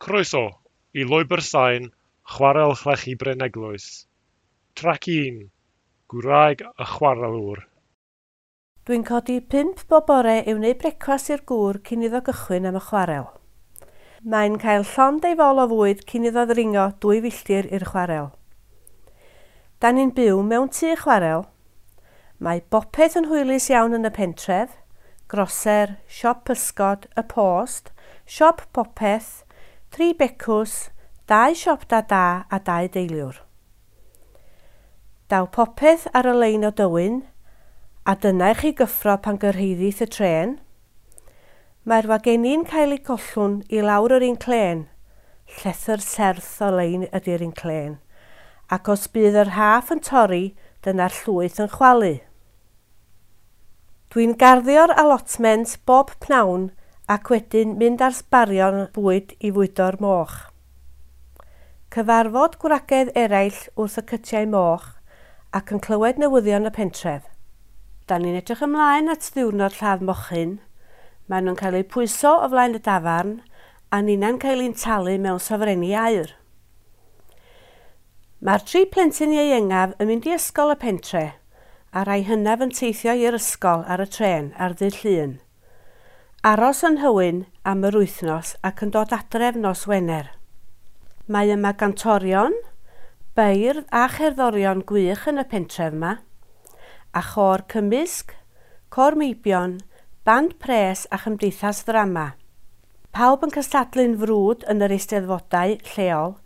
Croeso i Lwybr Sain Chwarel Llechi Bryn Eglwys. Trac 1, Gwraig y Chwarelwr. Dwi'n codi 5 bob bore i wneud brecwast i'r gŵr cyn iddo gychwyn am y chwarel. Mae'n cael llond ei fol o fwyd cyn iddo ddringo 2 filltir i'r chwarel. Da ni'n byw mewn tŷ chwarel. Mae bopeth yn hwylus iawn yn y pentref, groser, siop pysgod, y post, siop popeth, 3 becws, 2 siop da da a 2 deiliwr. Daw popeth ar y lein o Dywyn, a dyna i chi gyffro pan gyrhaeddith y trên. Mae'r wagenni'n cael eu gollwng i lawr yr inclên, llethr serth o lein ydy'r inclên, ac os bydd y rhaff yn torri, dyna'r llwyth yn chwalu. Dwi'n garddio'r allotment bob pnawn ac wedyn mynd ar sbarion bwyd i fwydo'r moch. Cyfarfod gwragedd eraill wrth y cytiau moch ac yn clywed newyddion y pentref. Da ni'n edrych ymlaen at ddiwrnod lladd mochyn. Maen nhw'n cael eu pwyso o flaen y dafarn a ninna'n cael ein talu mewn sofrenni aur. Mae'r 3 plentyn ieuengaf yn mynd i ysgol y pentre a rhai hynaf yn teithio i'r ysgol ar y trên ar ddydd Llun. Aros yn Nhywyn am yr wythnos ac yn dod adref nos Wener. Mae yma gantorion, beirdd a cherddorion gwych yn y pentref yma, a chôr cymysg, côr meibion, band pres a chymdeithas ddrama. Pawb yn cystadlu'n frwd yn yr eisteddfodau lleol,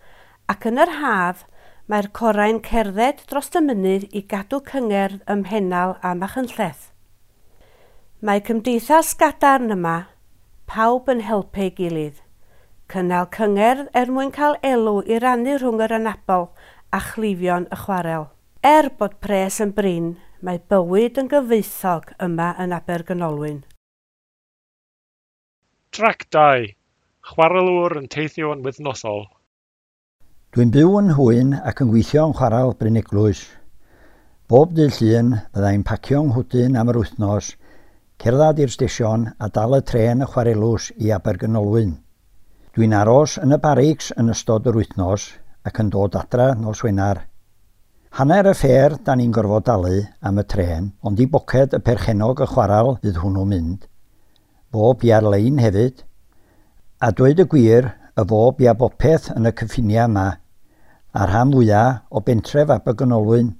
ac yn yr haf mae'r corau'n cerdded dros y mynydd i gadw cyngerdd ym Mhennal a Machynlleth. Mae cymdeithas gadarn yma, pawb yn helpu ei gilydd. Cynnal cyngerdd er mwyn cael elw i rannu rhwng yr anabl a chleifion y chwarel. Er bod pres yn brin, mae bywyd yn gyfoethog yma yn Abergynolwyn. Trac 2, Chwarelwr yn teithio'n wythnosol. Dwi'n byw yn Nhywyn ac yn gweithio yn chwarel Bryn Eglwys. Bob dydd Llun byddai'n pacio 'nghwdyn am yr wythnos, cerdded i'r stesion a dal y trên y chwarelws i Abergynolwyn. Dwi'n aros yn y barics yn ystod yr wythnos ac yn dod adra nos Wener. Hanner y ffer da ni'n gorfod dalu am y trên, ond i boced y perchennog y chwarel fydd hwnnw'n mynd. Fo bia'r lein hefyd. A dweud y gwir, y fo bia bopeth yn y cyffiniau yma, a'r rhan fwyaf o bentref Abergynolwyn,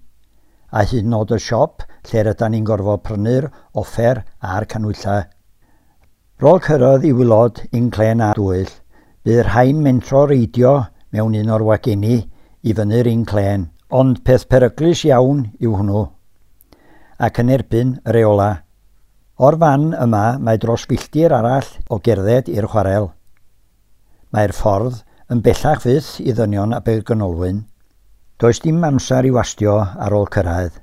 a hyd yn oed y siop lle rydan ni'n gorfod prynu'r offer a'r canhwyllau. Rôl cyrraedd i wylod inclên a dwyll, bydd rhain mentro reidio mewn un o'r wagenni i fyny'r inclên, ond peth peryglus iawn yw hwnnw, ac yn erbyn y reola. O'r fan yma mae dros filltir arall o gerdded i'r chwarel. Mae'r ffordd yn bellach fyth i ddynion Abergynolwyn. Does dim amser i wastio ar ôl cyrraedd.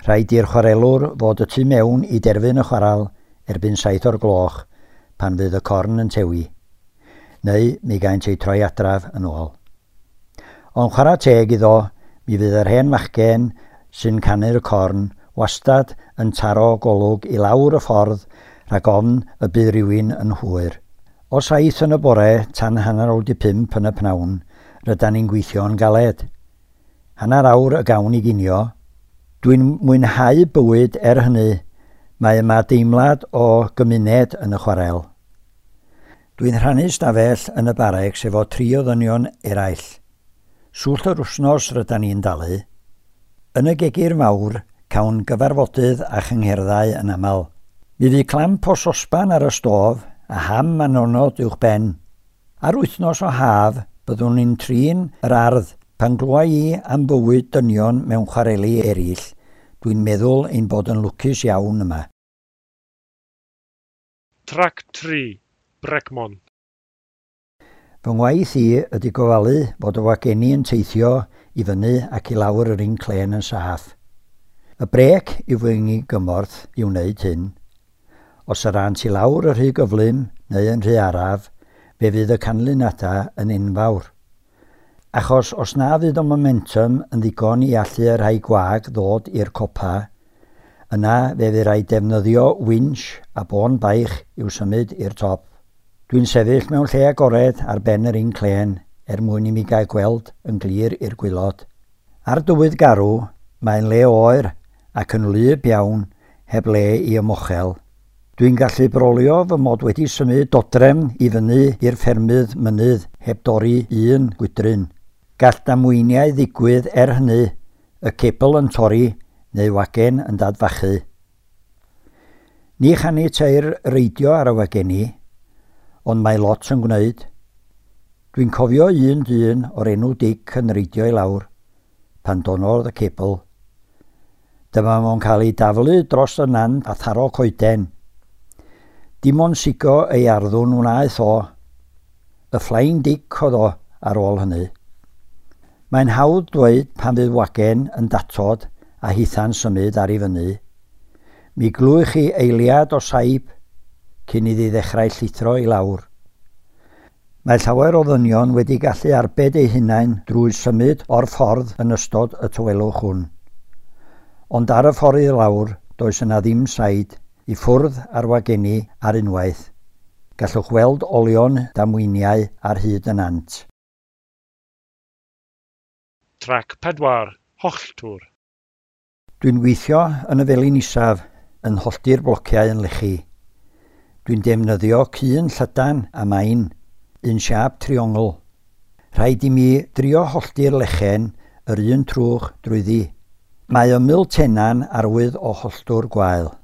Rhaid i'r chwarelwr fod y tu mewn i derfyn y chwarel erbyn 7 o'r gloch pan fydd y corn yn tewi, neu mi gaent eu troi adraf yn ôl. Ond chwarae teg iddo, mi fydd yr hen fachgen sy'n canu'r corn wastad yn taro golwg i lawr y ffordd rhag ofn y bydd rhywun yn hwyr. O 7 yn y bore tan 5:30 yn y pnawn, rydan ni'n gweithio'n galed. Hanner awr y gawn i ginio. Dwi'n mwynhau bywyd er hynny, mae yma deimlad o gymuned yn y chwarel. Dwi'n rhannu stafell yn y barics efo 3 o ddynion eraill. Swllt yr wythnos rydan ni'n dalu. Yn y gegir mawr, cawn gyfarfodydd a chyngherddau yn aml. Mi fydd clamp o sosban ar y stof a ham a nonod uwch ben. Ar wythnos o haf, byddwn ni'n trin yr ardd. Pan glwa i am bywyd dynion mewn chwareli eraill, dwi'n meddwl ein bod yn lwcus iawn yma. Trac 3, Brecmon. Fy ngwaith i ydy gofalu fod y wagenni yn teithio i fyny ac i lawr yr inclên yn saff. Y brêc yw fy ngymorth i wneud hyn. Os yr ânt i lawr y rhy gyflym neu yn rhy araf, fe fydd y canlyniadau yn enfawr. Achos os na fydd y momentum yn ddigon i allu y rhai gwag ddod i'r copa, yna fe fydd rhaid defnyddio winch a bôn baich i'w symud i'r top. Dwi'n sefyll mewn lle agored ar ben yr inclên er mwyn i mi gael gweld yn glir i'r gwaelod. Ar dywydd garw, mae'n le oer ac yn wlyb iawn heb le i ymochel. Dwi'n gallu brolio fy mod wedi symud dodrefn i fyny i'r ffermydd mynydd heb dorri un gwydryn. Gall damweiniau ddigwydd er hynny, y cebl yn torri neu wagen yn dadfachu. Ni chaniateir reidio ar y wageni, ond mae lot yn gwneud. Dwi'n cofio un dyn o'r enw Dic yn reidio i lawr, pan donnodd y cebl. Dyma fo'n cael ei daflu dros y nant a tharo coeden. Dim ond sigo ei arddwn wnaeth o. Y Flying Dic oedd o ar ôl hynny. Mae'n hawdd dweud pan fydd wagen yn datod a hitha'n symud ar i fyny. Mi glywch chi eiliad o saib cyn iddi ddechrau llithro i lawr. Mae llawer o ddynion wedi gallu arbed eu hunain drwy symud o'r ffordd yn ystod y tawelwch hwn. Ond ar y ffordd i lawr, does yna ddim said i ffwrdd ar wageni ar unwaith. Gallwch weld olion damweiniau ar hyd y nant. Trac 4. Holltwr. Dwi'n gweithio yn y felin isaf, yn hollti'r blociau yn lechi. Dwi'n defnyddio cyn llydan a main, un siâp triongl. Rhaid i mi drio hollti'r lechen yr un trwch drwyddi. Mae ymyl tena'n arwydd o holltwr gwael.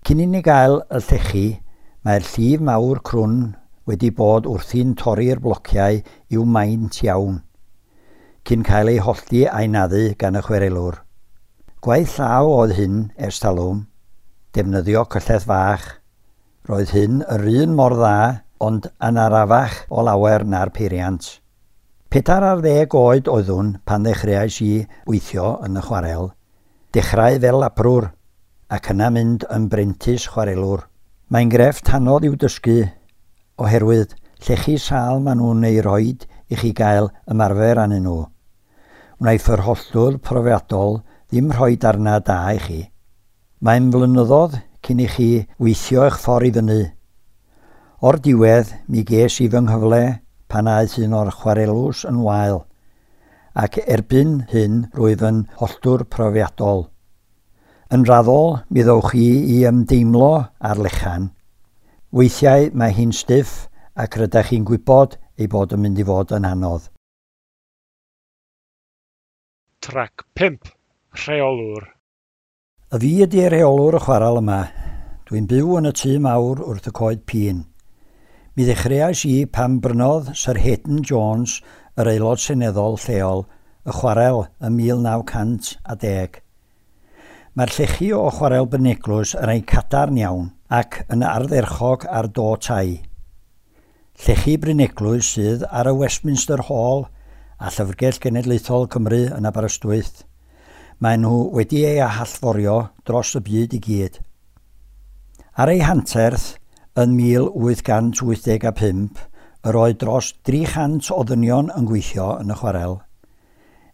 Cyn i ni gael y llechi, mae'r llif mawr crwn wedi bod wrthi'n torri'r blociau i'w maint iawn, cyn cael ei hollti a'i naddu gan y chwarelwr. Gwaith llaw oedd hyn ers talwm, defnyddio cyllell fach. Roedd hyn yr un mor dda, ond yn arafach o lawer na'r peiriant. 14 oed oeddwn pan ddechreuais i weithio yn y chwarel. Dechrau fel labrwr, ac yna mynd yn brentis chwarelwr. Mae'n grefft anodd i'w dysgu, oherwydd llechi sâl maen nhw'n ei roid i chi gael ymarfer arnyn nhw. Wnaiff yr holltwr profiadol ddim rhoi darnau da i chi. Mae'n flynyddoedd cyn i chi weithio eich ffordd i fyny. O'r diwedd, mi ges i fy nghyfle pan aeth un o'r chwarelws yn wael, ac erbyn hyn rwyf yn holltwr profiadol. Yn raddol, mi ddowch chi i ymdeimlo ar lechan. Weithiau mae hi'n stiff ac rydych chi'n gwybod ei bod yn mynd i fod yn anodd. Trac 5. Rheolwr. Y fi ydi rheolwr y chwarel yma. Dwi'n byw yn y tŷ mawr wrth y coed pîn. Mi ddechreuais i pan brynodd Sir Hayden Jones, yr aelod seneddol lleol, y chwarel ym 1910. Mae'r llechi o chwarel Bryneglwys yn rhai cadarn iawn ac yn ardderchog ar do tai. Llechi Bryneglwys sydd ar y Westminster Hall a Llyfrgell Genedlaethol Cymru yn Aberystwyth. Maen nhw wedi ei hallforio dros y byd i gyd. Ar ei hanterth, yn 1885, yr oedd dros 300 o ddynion yn gweithio yn y chwarel.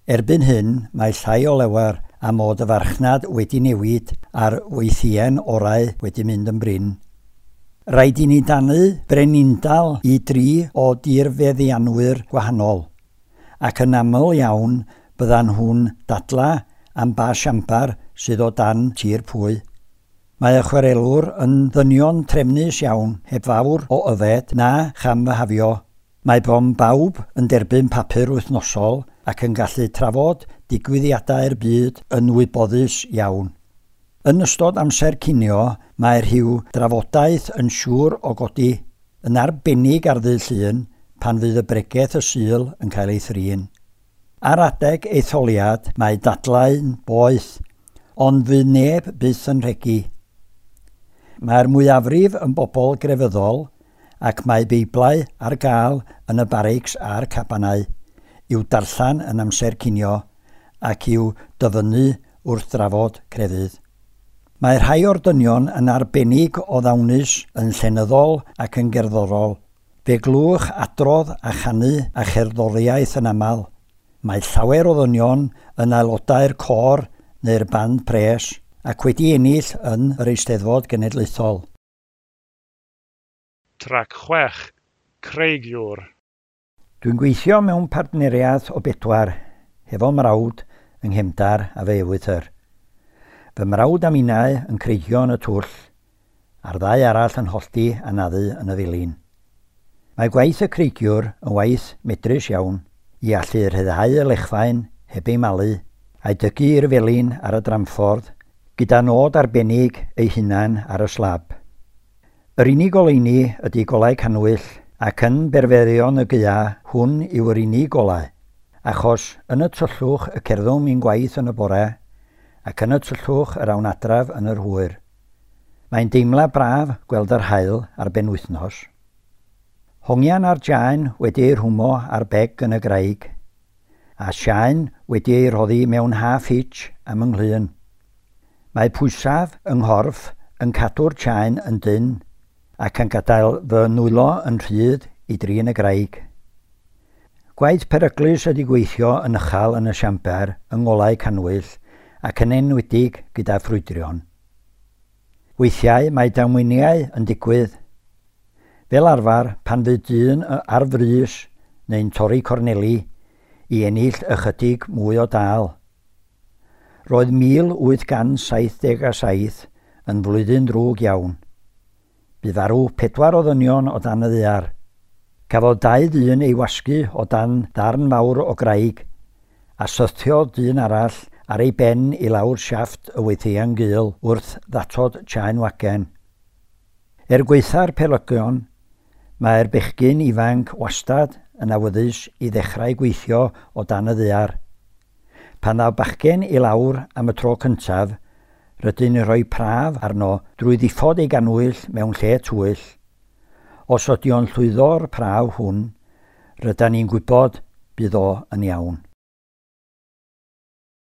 Erbyn hyn, mae llai o lawer am fod y farchnad wedi newid a'r weithien orau wedi mynd yn brin. Rhaid i ni danu brenindal i dri o dirfeddianwyr gwahanol, ac yn aml iawn byddan nhw'n dadla am ba siambar sydd o dan tir pwy. Mae y chwarelwr yn ddynion trefnus iawn, heb fawr o yfed na chamfyhafio. Mae bron bawb yn derbyn papur wythnosol ac yn gallu trafod digwyddiadau'r byd yn wybodus iawn. Yn ystod amser cinio, mae rhyw drafodaeth yn siŵr o godi, yn arbennig ar ddydd Llun pan fydd y bregeth y Sul yn cael ei thrin. Ar adeg etholiad, mae dadlau'n boeth, ond fydd neb byth yn rhegi. Mae'r mwyafrif yn bobl grefyddol ac mae Beiblau ar gael yn y barics a'r cabanau i'w darllen yn amser cinio ac i'w dyfynnu wrth drafod crefydd. Mae rhai o'r dynion yn arbennig o ddawnus yn llenyddol ac yn gerddorol. Fe glywch adrodd a chanu a cherddoriaeth yn aml. Mae llawer o ddynion yn aelodau'r côr neu'r band pres ac wedi ennill yn yr Eisteddfod Genedlaethol. Trac 6, Creigiwr. Dwi'n gweithio mewn partneriaeth o bedwar, hefo mrawd yng Nghemdar a fe ewythr. Fy mrawd a minnau yn creigio yn y twll, a'r ddau arall yn hollti a naddu yn y felin. Mae gwaith y creigiwr yn waith medrus iawn i allu rhyddhau y lechfaen heb ei malu a'i dygu i'r felin ar y dramffordd gyda nod arbennig ei hunan ar y slab. Yr unig oleuni ydy golau cannwyll ac yn berfeddion y gaea hwn yw yr unig golau, achos yn y tyllwch y cerddwn i'n gwaith yn y bore ac yn y tyllwch yr awn adref yn yr hwyr. Mae'n deimlad braf gweld yr haul ar benwythnos. Hongian a'r jaen wedi ei rhwymo ar beg yn y graig, a siaen wedi ei rhoddi mewn half hitch am yng nghlun. Mae pwysaf yng nghorff yn cadw'r chaen yn dynn ac yn gadael fy nwylo yn rhydd i drin y graig. Gwaith peryglus ydy gweithio yn uchel yn y siamber yng ngolau cannwyll ac yn enwedig gyda ffrwydrion. Weithiau mae damweiniau yn digwydd. Fel arfer, pan fydd dyn ar frys neu'n torri corneli i ennill ychydig mwy o dâl. Roedd 1877 yn flwyddyn drwg iawn. Bu farw pedwar o ddynion o dan y ddaear. Cafodd dau ddyn ei wasgu o dan ddarn mawr o graig, a syrthiodd dyn arall ar ei ben i lawr siafft y weithiau'n gul wrth ddatod chaen wagen. Er gwaetha'r peryglon, mae'r bechgyn ifanc wastad yn awyddus i ddechrau gweithio o dan y ddaear. Pan ddaw bachgen i lawr am y tro cyntaf, rydyn ni'n rhoi prawf arno drwy ddiffodd ei gannwyll mewn lle tywyll. Os ydy o'n llwyddo'r prawf hwn, rydyn ni'n gwybod bydd o yn iawn.